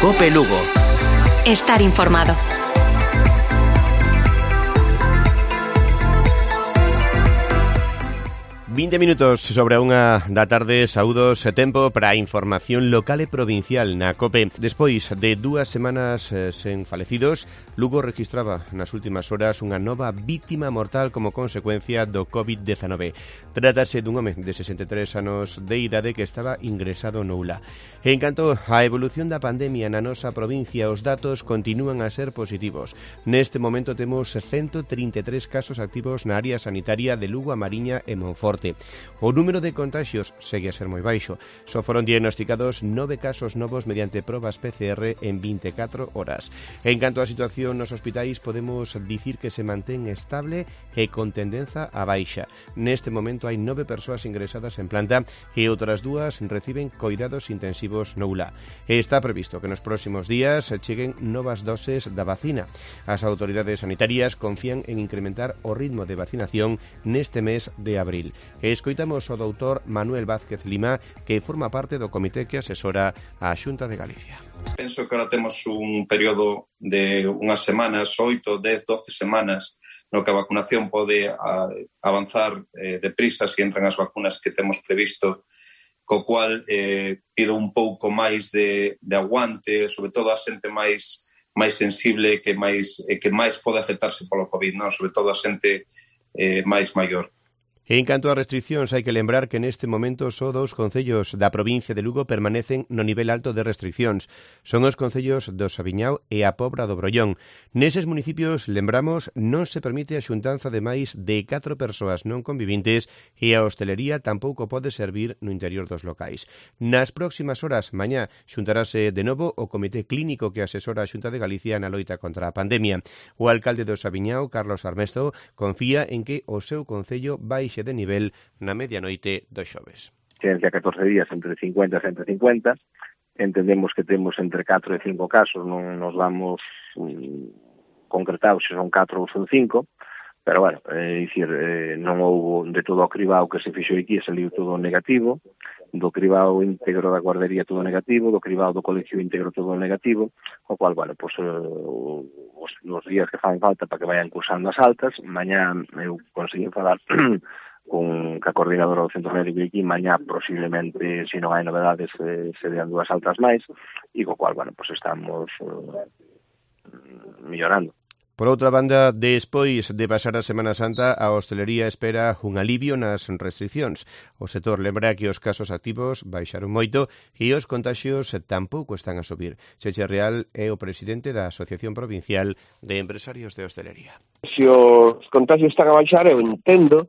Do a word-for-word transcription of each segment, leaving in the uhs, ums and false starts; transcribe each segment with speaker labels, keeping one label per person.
Speaker 1: COPE Lugo.
Speaker 2: Estar informado.
Speaker 3: vinte minutos sobre a unha da tarde, saúdos e tempo para a información local e provincial na COPE. Despois de dúas semanas eh, sen falecidos, Lugo registraba nas últimas horas unha nova vítima mortal como consecuencia do covid dezenove. Trátase dun home de sesenta e tres anos de idade que estaba ingresado no U L A. En canto á evolución da pandemia na nosa provincia, os datos continúan a ser positivos. Neste momento temos ciento trinta e tres casos activos na área sanitaria de Lugo, A Mariña e Monforte. O número de contagios segue a ser moi baixo. Só foron diagnosticados nove casos novos mediante probas P C R en vinte e catro horas. En canto á situación nos hospitais, podemos dicir que se mantén estable e con tendenza a baixa. Neste momento hai nove persoas ingresadas en planta e outras dúas reciben coidados intensivos no U L A. E está previsto que nos próximos días cheguen novas doses da vacina. As autoridades sanitarias confían en incrementar o ritmo de vacinación neste mes de abril. E escoitamos o doutor Manuel Vázquez Lima, que forma parte do comité que asesora a Xunta de Galicia.
Speaker 4: Penso que ahora temos un período de unhas semanas, oito, dez, doce semanas, no que a vacunación pode a, avanzar eh, deprisa se entran as vacunas que temos previsto, co cual eh, pido un pouco máis de, de aguante, sobre todo a xente máis máis sensible que máis eh, que máis pode afectarse polo COVID, non? Sobre todo a xente eh, máis maior.
Speaker 3: En canto a restriccións, hai que lembrar que neste momento só dous concellos da provincia de Lugo permanecen no nivel alto de restriccións. Son os concellos do Sabiñao e a Pobra do Brollón. Neses municipios, lembramos, non se permite a xuntanza de máis de catro persoas non convivintes e a hostelería tampouco pode servir no interior dos locais. Nas próximas horas, mañá, xuntarase de novo o Comité Clínico que asesora a Xunta de Galicia na loita contra a pandemia. O alcalde do Sabiñao, Carlos Armesto, confía en que o seu concello vai de nivel na medianoite do xoves.
Speaker 5: Ciencia catorce días entre cincuenta e ciento cincuenta. Entendemos que temos entre catro e cinco casos, non nos damos um, concretados se son catro ou son cinco, pero, bueno, é dicir, eh, non houbo de todo o cribado que se fixo aquí, saliu todo negativo, do cribado íntegro da guardería todo negativo, do cribado do colegio íntegro todo negativo, o cual, bueno, pues, uh, os, os días que fan falta para que vayan cursando as altas, mañá eu consegui falar con a coordinadora do centro médico aquí, mañá posiblemente, se non hai novedades, eh, se dean dúas altas máis, e co cual, bueno, pues estamos uh, mellorando.
Speaker 3: Por outra banda, despois de pasar a Semana Santa, a hostelería espera un alivio nas restriccións. O sector lembra que os casos activos baixaron moito e os contaxios tampouco están a subir. Cheche Real é o presidente da Asociación Provincial de Empresarios de Hostelería.
Speaker 6: Se os contagios están a baixar, eu entendo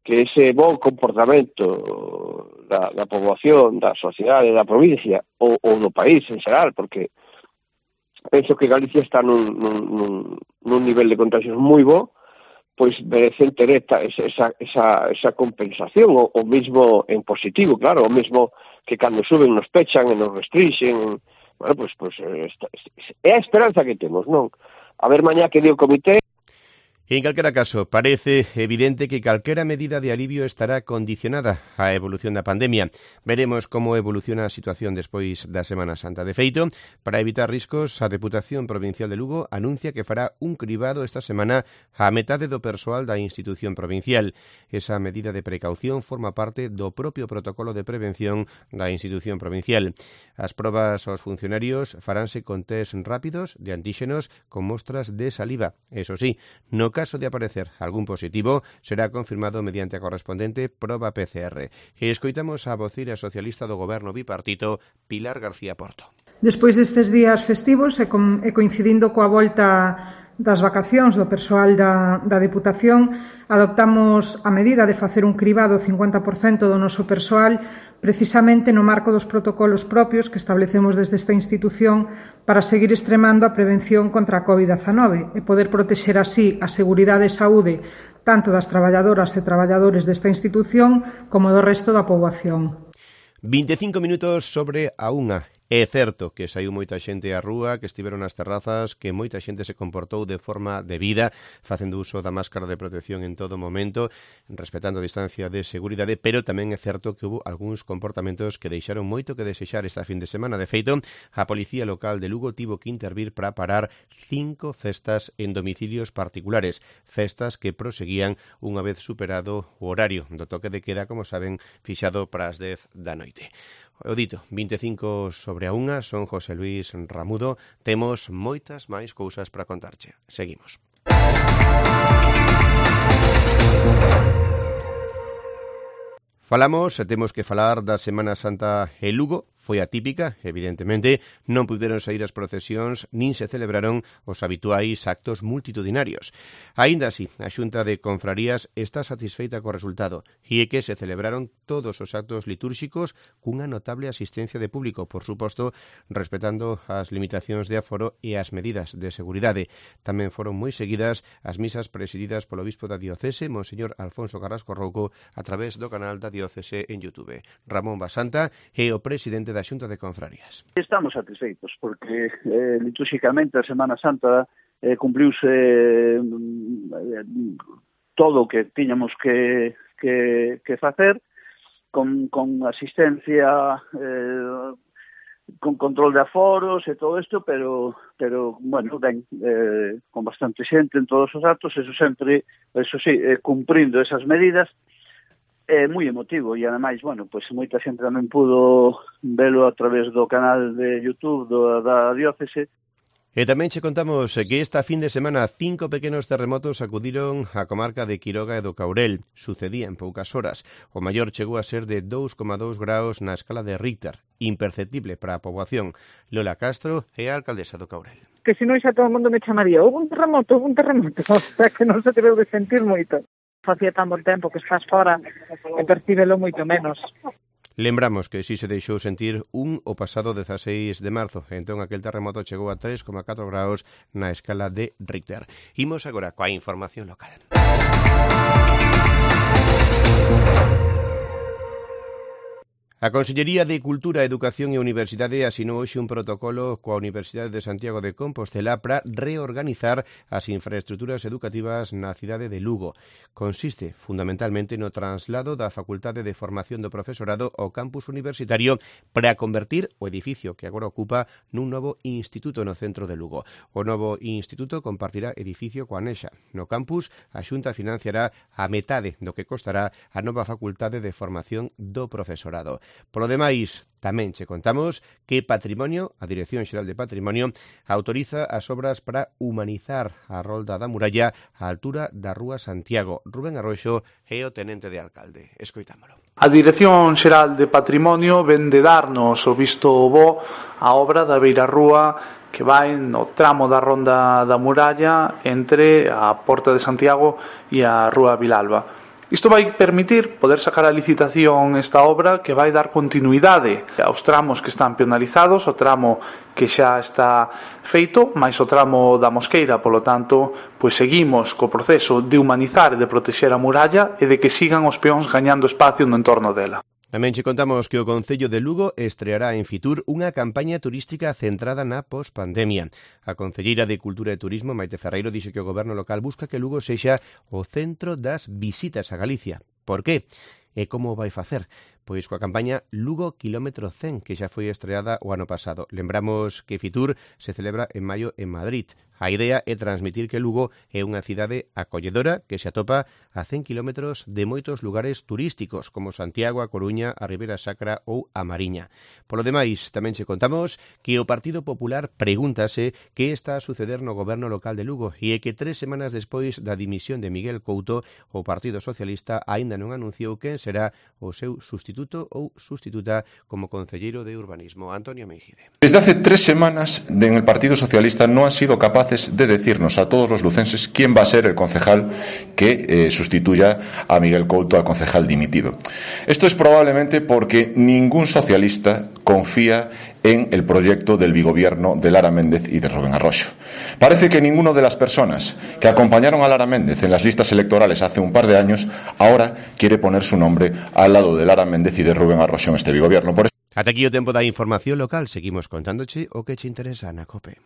Speaker 6: que ese bon comportamento da, da poboación, da sociedade, da provincia ou, ou do país en xeral, porque penso que Galicia está nun, nun, nun nivel de contagios moi bo, pois merecen ter esta, esa, esa, esa compensación, o, o mismo en positivo, claro, o mismo que cando suben nos pechan e nos restringen, bueno, pois, pois esta, é a esperanza que temos, non? A ver mañá que di o comité.
Speaker 3: En calquera caso, parece evidente que calquera medida de alivio estará condicionada á evolución da pandemia. Veremos como evoluciona a situación despois da Semana Santa. De feito, para evitar riscos, a Deputación Provincial de Lugo anuncia que fará un cribado esta semana á metade do persoal da institución provincial. Esa medida de precaución forma parte do propio protocolo de prevención da institución provincial. As probas aos funcionarios faránse con test rápidos de antíxenos con mostras de saliva. Eso sí, no caso de aparecer algún positivo, será confirmado mediante a correspondente proba P C R. E escoitamos a voceira socialista do Goberno bipartito, Pilar García Porto.
Speaker 7: Despois destes días festivos e, con, e coincidindo coa volta das vacacións do persoal da, da Deputación, adoptamos a medida de facer un cribado cincuenta por cento do noso persoal precisamente no marco dos protocolos propios que establecemos desde esta institución para seguir extremando a prevención contra a covid dezenove e poder protexer así a seguridade e saúde tanto das traballadoras e traballadores desta institución como do resto da poboación.
Speaker 3: vinte e cinco minutos sobre a unha. É certo que saiu moita xente á rúa, que estiveron nas terrazas, que moita xente se comportou de forma debida, facendo uso da máscara de protección en todo momento, respetando a distancia de seguridade, pero tamén é certo que hubo algúns comportamentos que deixaron moito que desexar esta fin de semana. De feito, a Policía Local de Lugo tivo que intervir para parar cinco festas en domicilios particulares, festas que proseguían unha vez superado o horario do toque de queda, como saben, fixado para as dez da noite. O dito, vinte e cinco sobre a unha, son José Luis Ramudo. Temos moitas máis cousas para contarche. Seguimos. Falamos, e temos que falar da Semana Santa en Lugo. Foi atípica, evidentemente, non puderon sair as procesións nin se celebraron os habituais actos multitudinarios. Aínda así, a Xunta de Confrarías está satisfeita co resultado e é que se celebraron todos os actos litúrxicos cunha notable asistencia de público, por suposto, respetando as limitacións de aforo e as medidas de seguridade. Tamén foron moi seguidas as misas presididas polo obispo da diocese, Monseñor Alfonso Carrasco Rouco, a través do canal da diocese en YouTube. Ramón Basanta é o presidente da Xunta de Confrarías.
Speaker 1: Estamos satisfeitos porque eh, litúrxicamente a Semana Santa eh, cumpliuse eh, todo o que tiñamos que, que, que facer con, con asistencia, eh, con control de aforos e todo isto, pero, pero bueno, ben, eh, con bastante xente en todos os actos, eso sempre, eso sí, eh, cumprindo esas medidas. É moi emotivo e, ademais, bueno, pois moita xente tamén pudo velo a través do canal de YouTube do, da diócese.
Speaker 3: E tamén che contamos que esta fin de semana cinco pequenos terremotos acudiron á comarca de Quiroga e do Caurel. Sucedía en poucas horas. O maior chegou a ser de dous coma dous graus na escala de Richter, imperceptible para a poboación. Lola Castro é a alcaldesa do Caurel.
Speaker 8: Que se non xa todo o mundo me chamaría, houve un terremoto, houve un terremoto, o sea que non se debeu de sentir moito. Facía tan bon tempo que estás fora e percíbelo moito menos.
Speaker 3: Lembramos que si se deixou sentir un o pasado dezaseis de marzo, entón aquel terremoto chegou a tres coma catro graus na escala de Richter. Imos agora coa información local. A Consellería de Cultura, Educación e Universidade asinou hoxe un protocolo coa Universidade de Santiago de Compostela para reorganizar as infraestruturas educativas na cidade de Lugo. Consiste fundamentalmente no traslado da Facultade de Formación do Profesorado ao campus universitario para convertir o edificio que agora ocupa nun novo instituto no centro de Lugo. O novo instituto compartirá edificio coa Anexa. No campus, a Xunta financiará a metade do que costará a nova Facultade de Formación do Profesorado. Polo demais, tamén che contamos que Patrimonio, a Dirección Xeral de Patrimonio, autoriza as obras para humanizar a rolda da muralla á altura da Rúa Santiago. Rubén Arroxo é o tenente de alcalde. Escoitámolo.
Speaker 9: A Dirección Xeral de Patrimonio ven de darnos o visto bo a obra da Beira Rúa que vai no tramo da ronda da muralla entre a Porta de Santiago e a Rúa Vilalba. Isto vai permitir poder sacar a licitación esta obra que vai dar continuidade aos tramos que están penalizados, o tramo que xa está feito, máis o tramo da Mosqueira, polo tanto, pois seguimos co proceso de humanizar e de protexer a muralla e de que sigan os peóns gañando espacio no entorno dela.
Speaker 3: Tamén che contamos que o Concello de Lugo estreará en Fitur unha campaña turística centrada na pospandemia. A Concelleira de Cultura e Turismo, Maite Ferreiro, dixe que o goberno local busca que Lugo sexa o centro das visitas a Galicia. Por qué? E como vai facer? Pois coa campaña Lugo Kilómetro cen, que xa foi estreada o ano pasado. Lembramos que Fitur se celebra en maio en Madrid. A idea é transmitir que Lugo é unha cidade acolledora que se atopa a cen kilómetros de moitos lugares turísticos, como Santiago, a Coruña, a Ribeira Sacra ou a Mariña. Polo demais, tamén che contamos que o Partido Popular pregúntase que está a suceder no goberno local de Lugo e é que tres semanas despois da dimisión de Miguel Couto, o Partido Socialista aínda non anunciou quen será o seu sustituto ou sustituta como concelleiro de Urbanismo. Antonio Mengide.
Speaker 10: Desde hace tres semanas en el Partido Socialista no han sido capaces de decirnos a todos los lucenses quién va a ser el concejal que eh, sustituya a Miguel Couto, al concejal dimitido. Esto es probablemente porque ningún socialista confía en el proyecto del bigobierno de Lara Méndez y de Rubén Arroxo. Parece que ninguno de las personas que acompañaron a Lara Méndez en las listas electorales hace un par de años ahora quiere poner su nombre al lado de Lara Méndez y de Rubén Arroxo en este bigobierno. Por eso
Speaker 3: Ata aquí o tempo da información local. Seguimos contándoche o que che interesa na COPE.